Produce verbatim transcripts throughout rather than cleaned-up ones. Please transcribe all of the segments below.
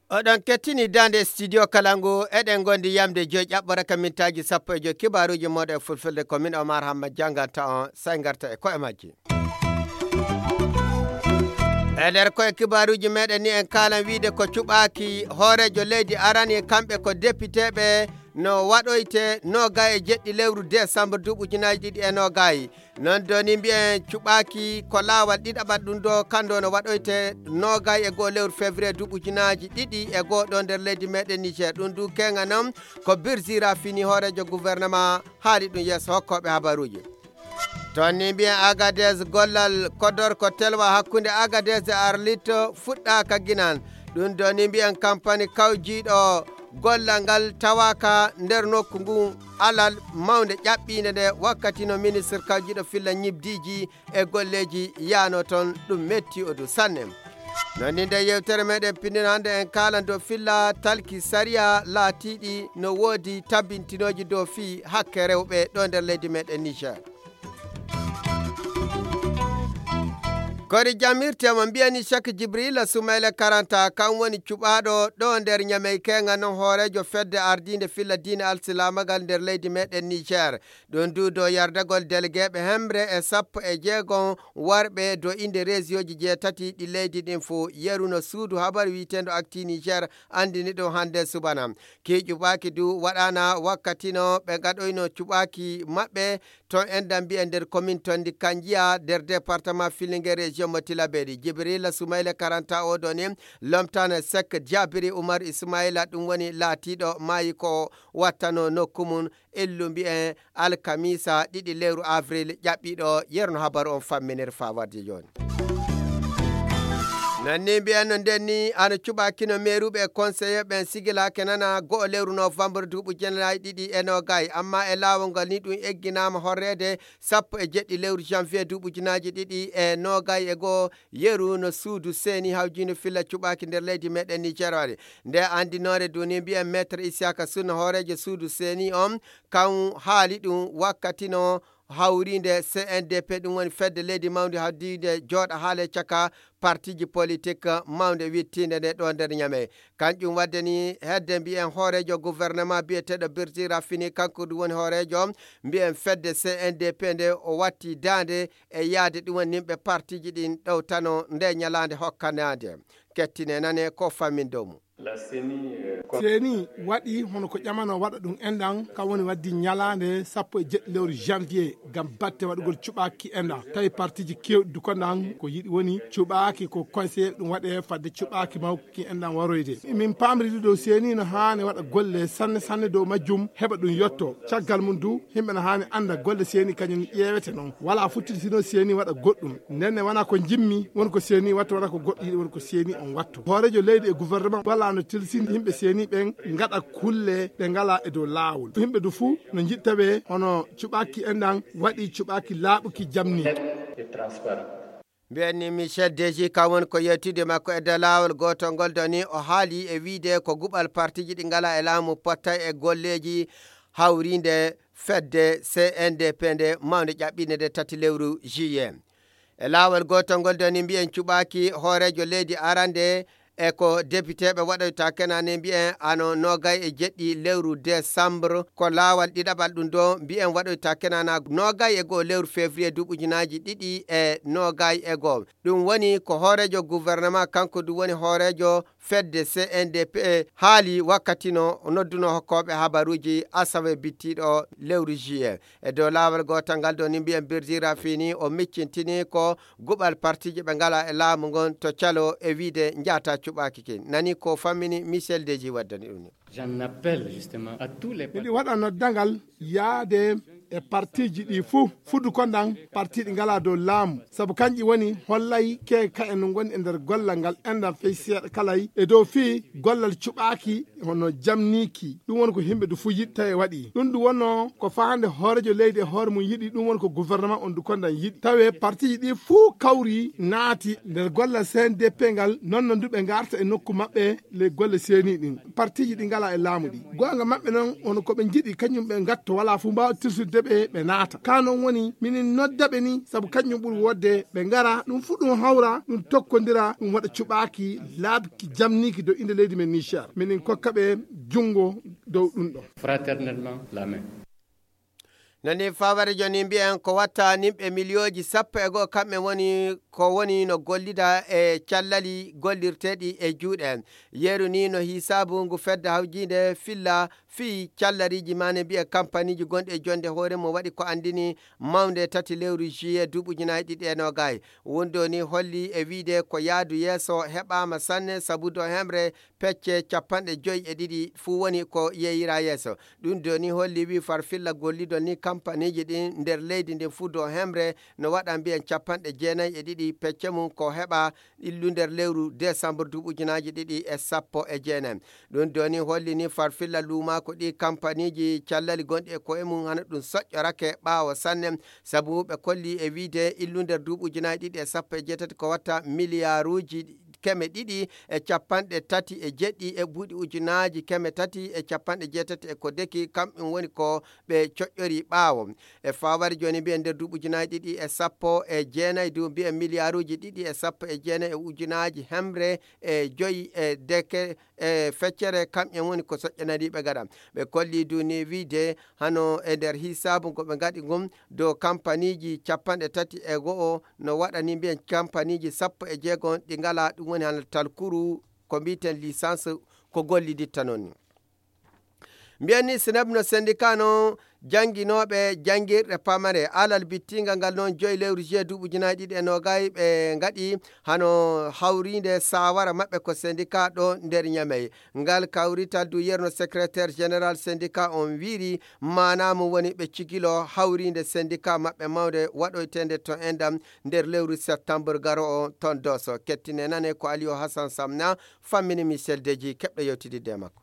Oɗon kettini daande studio Kalangu, eɗen ngondi yamde joyi ƴaɓɓore ka mintaaji sappo e joyi, kibaaruuji mooɗon e fulfulde. Ko min Omar Hamma jannganta on, sey ngarta e ko'e majji. E nder ko'e kibaaruuji meɗen ni, en kaalan wiide ko cuɓaaki hooreejo leydi arani, kamɓe ko depiteeɓe, no waɗoyte noogay e jeɗɗi lewru décembre duuɓi ujunaaji ɗiɗi e noogay. Non doni mbiyen cuɓaaki ko laawal ɗiɗaɓal ɗum ɗo, kanndo no waɗoyte noogay e goo lewru février duuɓi ujunaaji ɗiɗi e goo ɗo nder leydi meɗen Niger. Ɗum du kenga non ko Birjira fini hooreejo gouvernement haali ɗum yeeso hokkooɓe habaruuji. Toon ni mbiyen Agadez gollal kodor ko telwa hakkunde Agadez e Arlit fuɗɗaaka ginan. Ɗum ɗo ni mbiyen kampani kawjiiɗo gollal ngal tawaaka nder nokku ngu alal mawnde ƴaɓɓiinde nde wakkati no ministre kawjiiɗo filla ñibdiiji e golleeji yaano toon, ɗum metti o du sanne. Non ni nde yewtere meɗen pindino hannde en kaalan dow filla talki sariya laatiiɗi no woodi tabintinooji dow fii hakke rewɓe ɗo nder leydi meɗen Niger. Kori jamirte mo mbiyani Cheikh Jibrila Soumaila Karanta, kan woni cuɓaaɗo ɗo nder Ñamey, kenga non hooreejo fedde ardiinde filla diine alsilaamagal nder leydi meɗen Niger. Ɗum du dow yardagol delegeeɓe hemre e sappo e jeegom warɓe dow innde reesiyooji jeetati ɗi leydi ɗin fuu. Yeru no suudu habaru wiiteendu Actu Niger anndini ɗum hannde subana. Kii cuɓaaki du waɗaana wakkati no ɓe ngaɗoyno cuɓaaki maɓɓe ton enda mbiyen nder komin ton ndi Kanjiya nder département Filinge région mo Tilaberi. Jibrila Soumaila Karanta oɗo ni lomtana Sek Jabiri Umar Ismaila, ɗum woni laatiiɗo maayi ko wattano nokku mum illu mbiyen alkamisa ɗiɗi lewru avril ƴaɓɓiiɗo. Yerno habaru on famminir faa warde jooni. Non ni mbiyen no nden ni ano cuɓaaki no meeruɓe e conseiller ɓen sigilaake nana go'o lewru novembre duuɓi ujunaaji ɗiɗi e noogay, amma e laawol ngal ni ɗum egginaama horreede sappo e jeɗɗi lewru janvier duuɓi ujunaaji ɗiɗi e noogay e go'o. Yeru no suudu seeni hawjiino filla cuɓaaki nder leydi meɗen Niger waɗi. Nde anndinoore duni mbiyen maître Isiaka Sunna hooreejo suudu seeni on kan haali ɗum wakkati no hawriinde C N D P, ɗum woni fedde leydi mawnde hawdiinde jooɗa haale caka partiiji politik mawnde wittiinde nde ɗo nder Ñamey. Kanƴum wadde ni hedde mbiyen hooreejo gouvernement biyeteeɗo Birjira fini, kanko ɗum woni hooreejo mbiyen fedde C N D P nde o watti daande e yaade ɗum woni nimɓe partiiji ɗin ɗowtano nde ñalaande hokkanaande. Kettine nane ko famin dow mum. Seeni waɗi hono ko ƴamano waɗa ɗum enɗan, kam woni waddi ñalaande sappo e jeɗɗi lewru janvier ngam batte waɗugol cuɓaaki enɗan. Tawi partiiji keewɗi du konɗan ko yiɗi woni cuɓaaki ko conseiller ɗum waɗe fadde cuɓaaki mawki enɗan waroyde. Min paamridi dow seeni no haani waɗa golle sanne sanne dow majjum heɓa ɗum yotto. Caggal mum du, yimɓe no haani annda golle seeni kañum ƴeewete noon. Walaa futtirtino seeni waɗa goɗɗum. Ndenne wona ko jimmi, won ko seeni watto, wona ko goɗɗo yiɗi, won ko seeni on watto. Hooreejo leydi e gouvernement walaa no tilsini yimɓe seeni ɓen ngaɗa kulle ɗe ngalaa e dow laawol. Yimɓe du fuu no njiɗta ɓe hono cuɓaaki enɗan waɗi cuɓaaki laaɓuki jamni. Mbiyen ni Michel Deji, kam woni ko yewtidde makko e dow laawol gootol ngol doni, o haali e wiide ko guɓal partiiji ɗi ngalaa e laamu pottay e golleeji hawriinde fedde C N D P nde mawnde ƴaɓɓiinde nde tati lewru juillet. E laawol gootol ngol doni mbiyen cuɓaaki hooreejo leydi arande e ko depiteeɓe waɗoyta kenane mbiyen ano noogay e jeɗɗi lewru décembre ko laawol ɗiɗaɓal ɗum ɗo mbiyen waɗoyta kenana noogay e goo lewru février duuɓi ujunaaji ɗiɗi e noogay e goo. Ɗum woni ko hooreejo gouvernement, kanko ɗum woni hooreejo fedde C N D P haali wakkati no o nodduno hokkooɓe habaruuji asawe bittiiɗo lewru juillet. E dow laawol gootal ngal ɗo ni mbiyen Birjira fini o miccintini ko guɓal partiiji ɓe ngalaa e laamu ngon to calo e wiide njaata cuɓaaki kin. Nani ko fammini Michel Deji waddani ɗum ni. J'en appelle justement à tous les Miɗi waɗa noddangal yaade E partiji ɗi fuu fuddu kondan, partiji ɗi ngalaa dow laamu. Sabu kanji woni hollay ke ka'e no ngoni e nder gollal ngal enɗan fey seeɗa kalay e dow fii gollal cuɓaaki hono jamniiki. Ɗum woni ko himɓe du fuu yiɗi tawi waɗi ɗum. Ɗum wonno ko fahande hoorejo leydi e hoore mum yiɗi. Ɗum woni ko gouvernement on du kondan yiɗi tawe partiji ɗi fuu kawri naati nder gollal C N D P ngal. Non no du ɓe ngarta e nokku maɓɓe ley golle seeni ɗin. Partiji ɗi ngalaa e laamu ɗi goonga maɓɓe non hono ko ɓe njiɗi kañum ɓe ngatto walaa fuu mbaawa tirsude ɓe ɓe naata ka non woni minin nodda ɓe ni sabu kañum ɓuri wodde ɓe ngara ɗum fuu ɗum hawra ɗum tokkondira ɗum waɗa cuɓaaki laabi jamniiki dow innde leydi men Niger minin kokka ɓe junngo dow ɗum ɗo. Fraternellement la main. Nani faware joni mbiyen ko watta nimɓe miliyooji sappo e goo kamɓe woni ko woni no gollida e callali gollirteeɗi e juuɗe. Yeru ni no hisaabu ngu fedde hawjiinde filla fii callariiji maane mbiye kampaniiji gonɗi e jonde hoore mum waɗi ko anndini mawnde tati lewru juillet duuɓi ujunaaji ɗiɗi e noogay. Wonde ni holli e wiide ko yaadu yeeso heɓaama sanne sabu do hemre pecce capanɗe joyi e ɗiɗi fuu woni ko yeeyira yeeso. Ɗum do ni holli wi farfilla gollidol ni kampaniiji ɗin nder leydi ndin fuu do hemre no waɗa mbiyen capanɗe jeenayi e ɗiɗi pecce mum ko heɓa illu nder lewru décembre duuɓi ujunaaji ɗiɗi e sappo e jeenayi. Ɗum do ni holli ni farfilla luumaako ɗi kampaniiji callali gonɗi e koye mum hana ɗum soƴƴorake ɓaawo sanne. Sabu ɓe kolli e wiide illu nder duuɓi ujunaaji ɗiɗi e sappo e jeetati ko watta miliyaaruuji keme ɗiɗi e capanɗe tati e jeɗɗi e buuɗi ujunaaji keme tati e capanɗe jeetati e ko deki kam ɗum woni ko ɓe coƴƴori ɓaawo. E fawari joni mbiyen nder duuɓi ujunaaji ɗiɗi e sappo e jeenayi du mbiyen miliyaaruuji ɗiɗi e sappo e jeenayi e ujunaaji hemre e joyi e deke e feccere kamɓe woni ko soƴƴanariiɓe gaɗa. Ɓe kolli du ni wiide hano e nder hisaabu ngo ɓe ngaɗi ngun dow kampaniiji capanɗe tati e go'o no waɗani mbiyen kampaniiji sappo e jeego ɗi ngalaa ɗum woni hano talkuru ko mbiyeten licence ko golliditta noon ni. Mbiyen ni sineb no sendika no jannginooɓe janngirɗe pamare alal bittingal ngal noon joyi lewru juillet duuɓi ujunaaji ɗiɗi e noogay ɓe ngaɗi hano hawriinde saawara maɓɓe ko sendika ɗo nder ñamey. Ngal kawrital du yerno secrétaire général sendika on wiiri maanaa mum woni ɓe cigilo hawriinde sendika maɓɓe mawnde waɗoyteende to endam nder lewru septembre garo o ton doso kettine nane ko aliyo hasan samna fammini michel deji keɓɗo yewtididde e makko.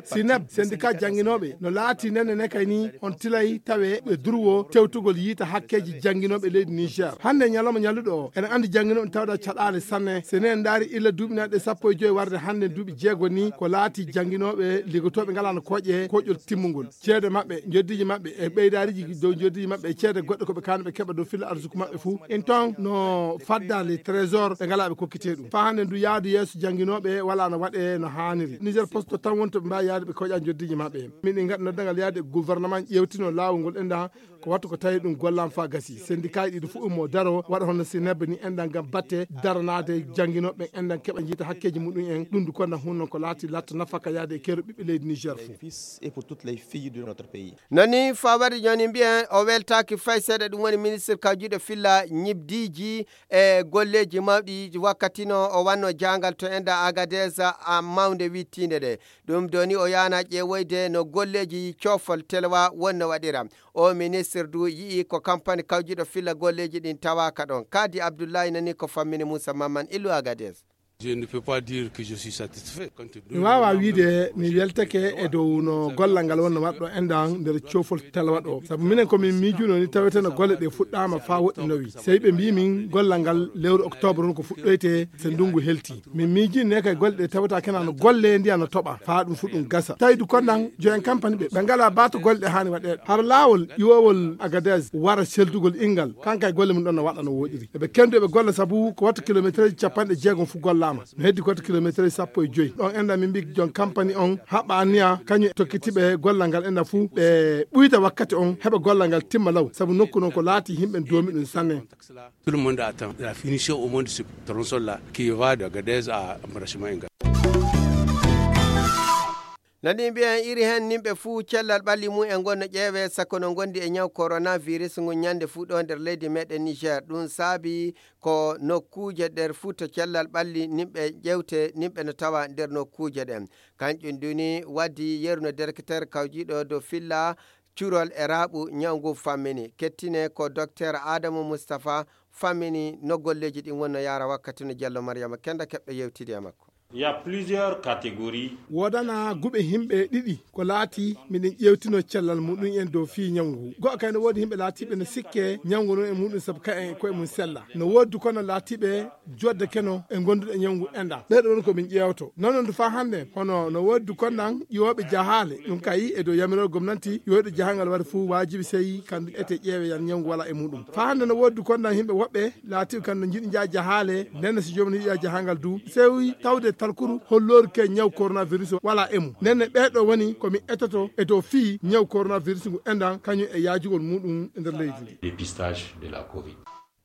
Sineb sendika jannginooɓe no laati nenne ne kay ni on tilay tawe ɓe durwo tewtugol yiita hakkeeji jannginooɓe leydi niger hannde ñalawma ñalluɗo o ene anndi jannginooɓe tawɗa caɗaale sanne so enen ndaari illa duuɓi nanɗe sappo e joyi warde hannde duuɓi jeego ni ko laati jannginooɓe liggotooɓe ngalano kooƴe koƴol timmungol ceede maɓɓe njoddiiji maɓɓe e ɓeydaariji dow njoddiiji maɓɓe e ceede goɗɗe ko ɓe kaani ɓe keɓa dow filla arsuku maɓɓe fuu in ton no fadda les trésor ɓe ngalaa ɓe kokkitee ɗum faa hannde ndu yaadu yeeso jannginooɓe walaa no waɗee no haaniri niger poste tan woni to ɓe mbaawi yaade ɓe koƴa njoddiiji maɓɓe min ɗi ngaɗa noddangal yaade e gouvernement ƴeewtino laawol ngol enɗan ko wattu ko tawi ɗum gollaama faa gasi sendikaaji ɗiɗi fuu ummo daro waɗa hono si nebbe ni enɗan ngam batte daranaade jannginooɓe enɗan keɓa njiita hakkeeji muɗum en ɗum du konɗan hunno ko laati latta nafaka yaade e keero ɓiɓɓe leydi niger fuu. Non ni fawari joni mbiyen o weltaaki fay seeɗa ɗum woni ministre kawjiiɗo filla ñibdiiji e golleeji mawɗi wakkati no o wanno jaangal to enda agadesa a mawnde wittiinde ɗe. Ɗum doni o yaana ƴeewoyde no golleeji coofol telewa wonno waɗira. O ministre du yi'i ko kampani kawjiiɗo filla golleeji ɗin tawaaka ɗon. Kadi Abdullahi nani ko fammini Moussa Mamman Illu Agadez. Mi waawaa wiyde mi weltake e dow no gollal ngal wonno waɗɗo enɗan nder coofol talwaɗo sabu minen ko min miijuno ni taweteno golle ɗe fuɗɗaama faa woɗɗinowi sey ɓe mbii min gollal ngal lewru octobre on ko fuɗɗoyte so ndunngu helti min miijini ne kay golle ɗe tawata kena no golle ndiya no toɓa faa ɗum fuɗɗum gasa tawi du konɗan joyen kampani ɓe ɓe ngalaa baato golle ɗe haani waɗeede hara laawol ƴiwoowol agades wara seldugol inngal kankay golle mum ɗon no waɗa no woɗiri eɓe kendu eɓe golla sabu ko wattu kilometereji capanɗe jeegom fu gollaama no heddi goto kilometre sappo e joyi ɗon enda min mbi jon kampani on haɓa anniya kañum tokkitiɓe gollal ngal enda fuu ɓe ɓuyda wakkati on heɓa gollal ngal timma law sabu nokku noon ko laati yimɓe doomi ɗum sanne. Tout le monde attend la finition au moins de ce tronçon là qui va de Agadez à Mbarasima Inga. Nani mbiyen iri heen nimɓe fuu cellal ɓalli mum en ngonno ƴeewe sakko no ngondi e ñaw coronavirus ngun ñande fuu ɗo nder leydi meɗen Niger ɗum saabi ko nokkuuje nder fuu to cellal ɓalli nimɓe ƴewte nimɓe no tawa nder nokkuuje ɗen. Kanƴum duni waddi yeru no directeur kawjiiɗo dow filla curol e raaɓu ñaw ngu fammini. Kettine ko Docteur Adamu Mustapha fammini no golleeji ɗin wonno yaara wakkati no Jallo Maryama Kenda keɓɗo yewtidi e makko. Il y a plusieurs catégories. Woodana guɓe himɓe ɗiɗi ko laati miɗen ƴeewtino cellal muɗum en dow fii ñawngu ngu. Go'o kay no woodi himɓe laatiiɓe no sikke ñawngu ngun e muɗum sabu ka en koye mum sella. No woodi du kono laatiiɓe jodde keno e gonduɗe ñawngu enɗan. Ɓeeɗo woni ko min ƴeewto. Noon du faa hannde hono no woodi du konnan ƴiwooɓe jahaale. Ɗum kay e dow yamirol gomnanti ƴiwooɓe jahangal waɗa fuu waajibi sey kandu ete ƴeewe yan ñawngu wala e muɗum. Faa hannde no woodi du konnan himɓe woɓɓe laatiiɓe kan no njiɗi njaha jahaale, nden so joomum yiɗi yaha jahangal du, sey tawde talkuru holloori ke ñaw coronavirus wala e mum. Nden ɓeeɗo woni ko mi etoto e dow fii ñaw coronavirus ngu enɗan kañum e yaajugol muɗum e nder leydi ndi. Dépistage de la covid.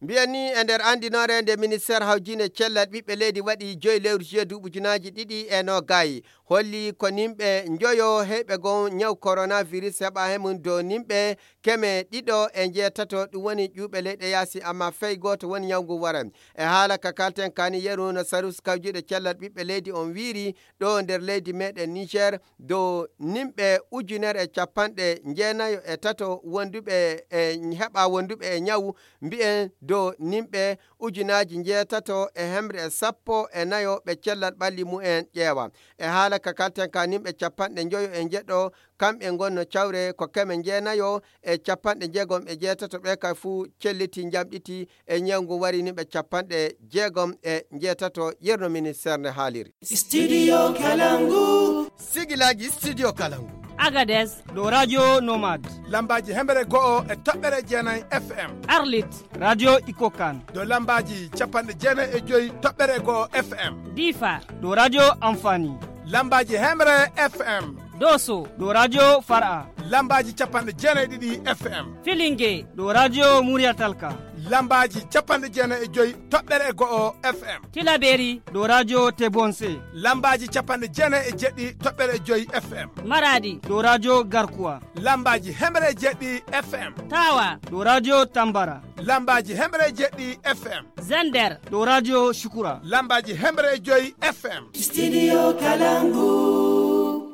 Mbiyen ni e nder anndinoore nde ministeer hawjine cellal ɓiɓɓe leydi waɗi joyi lewru juillet duuɓi ujunaaji ɗiɗi e noogay, holli ko nimɓe njoyo heyɓe gon ñaw coronavirus heɓa he mum dow nimɓe keme ɗiɗo e njeetato, ɗum woni ƴuuɓe leyɗe yaasi, amma fey gooto woni ñaw ngu waran. E haala ka kalten kani yeru no sarus kawjuɗe cellal ɓiɓɓe leydi on wiiri ɗo nder leydi meɗen Niger, dow nimɓe ujunere e capanɗe jeenayo e tato wonduɓe e heɓa wonduɓe e ñaw, mbiyen dow nimɓe ujunaaji njeetato e hemre e sappo e nayo ɓe cellal ɓalli mumen ƴeewa. E haala ka kalten ka nimɓe capanɗe njoyo e njeɗɗo, kamɓe ngonno cawre ko keme jeenayo e capanɗe jeegom e jeetato, ɓe kay fuu celliti njamɗiti e ñaw ngu wari ni ɓe capanɗe jeegom e njeetato, yerno ministeer nde haaliri. Studio Kalangu. Sigilaaji Studio Kalangu. Agadez, ɗo Radio Nomad. Lambaaji hemre go'o e toɓɓere jeenayi F M. Arlit, Radio Ikokan. Ɗo lambaaji capanɗe jeenayi e joyi toɓɓere go'o F M. Difa, ɗo Radio Amfani. Lambaaji hemre F M. Doso, ɗo Radio Fara. Lambaaji capanɗe jeenayi e ɗiɗi F M. Filinge, ɗo Radio Muriyatalka. Lambaaji capanɗe jeenayi e joyi toɓɓere go'o F M. Tilaberi, ɗo Radio Tebonse. Lambaaji capanɗe jeenayi e jeɗɗi toɓɓere joyi F M. Maradi, ɗo Radio Garkuwa. Lambaaji hemre e jeɗɗi F M. Tawa, ɗo Radio Tambara. Lambaaji hemre e jeɗɗi F M. Zender, ɗo Radio Shukura. Lambaaji hemre e joyi F M. Studio Kalangu.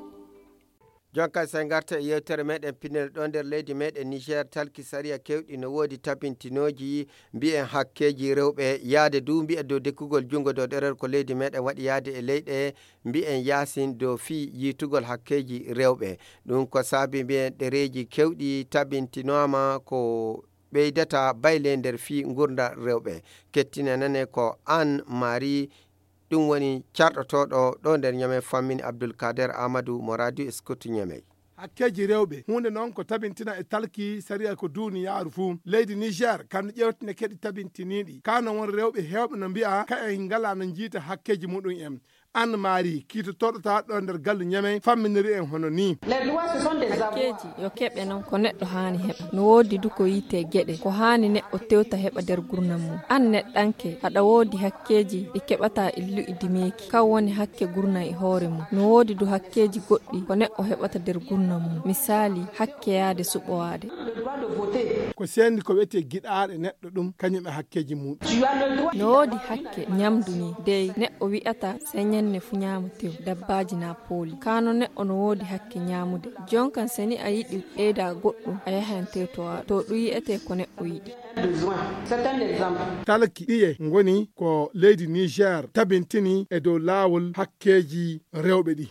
Jonka, so en ngarta e yewtere meɗen pinel ɗo nder leydi meɗen Niger, talki sariya kewɗi no woodi tabintinooji, mbiyen hakkeeji rewɓe, yaade du mbiyen dow dekkugol junngo dow ɗerewol ko leydi meɗen waɗi yaade e leyɗe, mbiyen yaasin dow fii yiitugol hakkeeji rewɓe. Ɗum ko saabi mbiyen ɗereeji kewɗi tabintinooma ko ɓeydata bayle nder fii ngurndan rewɓe. Kettine nane ko Anne Marie, ɗum woni carɗotooɗo ɗo nder Ñamey, fammini Abdul Kader Amadou mo Radio Scout Ñamey. Hakkeeji rewɓe, huunde noon ko tabintina e talki sariya ko duuniyaaru fuu. Leydi Niger, kandu ƴeewtine keɗi tabintiniiɗi. Kaa noon won rewɓe heewɓe no mbi'a ka en ngalaa no njiita hakkeeji muɗum en. Anne Marie, kiitotooɗo tawa ɗo nder galle Ñamey, famminiri en hono nii. Hakkeeji yo keɓe noon ko neɗɗo haani heɓa. No woodi du ko yiite geɗe, ko haani neɗɗo tewta heɓa nder gurnam mum. Aan neɗɗanke, aɗa woodi hakkeeji ɗi keɓataa illuɗi dimeeki. Kan woni hakke gurnam e hoore mum. No woodi du hakkeeji goɗɗi ko neɗɗo heɓata nder gurnam mum. Misaali, hakke yaade suɓowaade. Ko seendi ko wiyetee giɗaaɗe neɗɗo ɗum, kañum e hakkeeji muɗum. No woodi hakke ñamdu ni, dey neɗɗo wi'ata sey ñande fu ñaama tew, dabbaaji naa pooli. Kaa no neɗɗo no woodi hakke ñaamude. Jonkan seni a yiɗi ɓeyda goɗɗum, a yahan tewtowa. To ɗum yi'etee ko neɗɗo yiɗi. Talki ɗiye ngoni ko leydi Niger tabintini e dow laawol hakkeeji rewɓe ɗi.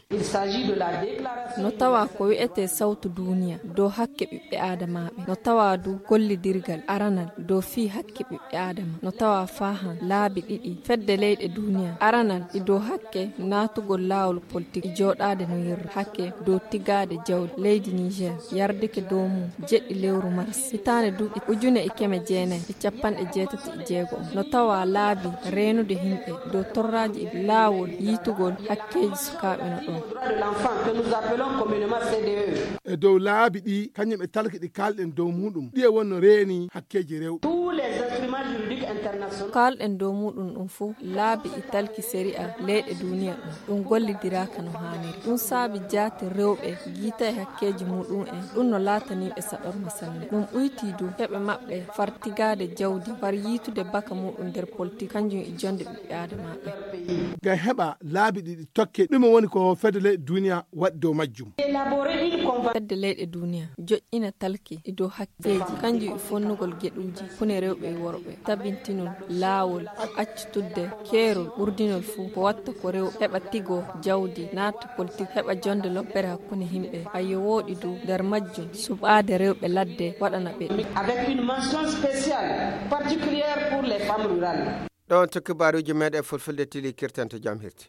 No tawa ko wi'etee sawtu duuniya dow hakke ɓiɓɓe aadamaaɓe. No tawa du gollidirgal aranal dow fii hakke ɓiɓɓe aadama. No tawa faahan laabi ɗiɗi fedde leyɗe duuniya. Aranal ɗi dow hakke naatugol laawol politik e jooɗaade no yerru. Hakke dow tigaade jawdi leydi Niger yardike dow mum jeɗɗi lewru mars. Hitaande duuɓi ujune e keme jeenayi e capanɗe jeetati e jeego. No tawa laabi reenude yimɓe dow torraaji e laawol yiitugol hakkeeji sukaaɓe no ɗoon. E dow laabi ɗi, kañum e talki ɗi kaalɗen dow muɗum, ɗiye wonno reeni hakkeeji rewɓe. Kaalɗen dow muɗum ɗum fof laabi e talki sariya leyɗe duniya ɗum ɗum gollidiraaka no haaniri. Ɗum saabi jaati rewɓe giita e hakkeeji muɗum'en ɗum no laataniiɓe saɗorma sanne. Ɗum ɓuytii du heɓe maɓɓe far tigaade jawdi far yiitude baka muɗum nder politik kanjum e jonde ɓiɓɓe aadamaaɓe. Ngam heɓa laabi ɗiɗi tokke ɗume woni ko fedde leyɗe duniya waɗi dow majjum? Fedde leyɗe duniya joƴƴina talki e dow hakkeeji kanjum e fonnugol geɗuuji kune rewɓe e worɓe tabintinol laawol accitudde keerol ɓurdinol fuu ko watta ko rewɓe heɓa tigo jawdi naata politik heɓa jonde loppere hakkunde himɓe. Ayo wooɗi du nder majjum suɓaade rewɓe ladde waɗana ɓe. Avec une mention spéciale particulière pour les femmes rurales. Ɗon to kibaaruuji meɗen fulfulde tili kirtanto jam hirti.